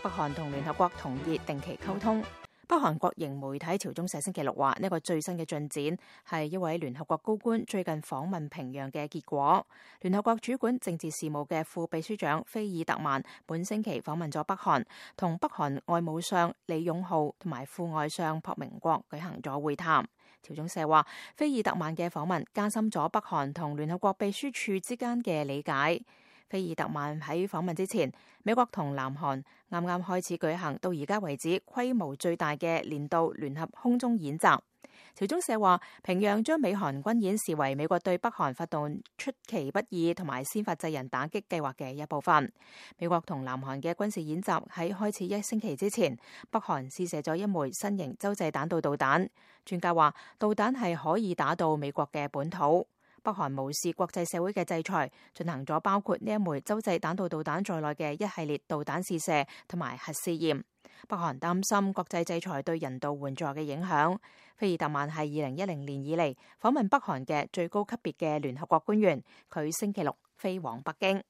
北韓同聯合國同意定期溝通。北韓國營媒體朝中社星期六話，呢個最新嘅進展係一位聯合國高官最近訪問平壤嘅結果。聯合國主管政治事務嘅副秘書長菲爾特曼本星期訪問咗北韓，同北韓外務相李勇浩同埋副外相朴明國舉行咗會談。朝中社話，菲爾特曼嘅訪問加深咗北韓同聯合國秘書處之間嘅理解。菲爾特曼喺訪問之前，美國同南韓啱啱開始舉行到而家為止規模最大嘅年度聯合空中演習。朝中社話，平壤將美韓軍演視為美國對北韓發動出其不意同埋先發制人打擊計劃嘅一部分。美國同南韓嘅軍事演習喺開始一星期之前，北韓試射咗一枚新型洲際彈道導彈。專家話，導彈係可以打到美國嘅本土。北韓無視國際社會嘅制裁，進行咗包括呢一枚洲際彈道導彈在內嘅一系列導彈試射同埋核試驗。北韓擔心國際制裁對人道援助嘅影響。菲爾特曼係2010年以嚟訪問北韓嘅最高級別嘅聯合國官員，佢星期六飛往北京。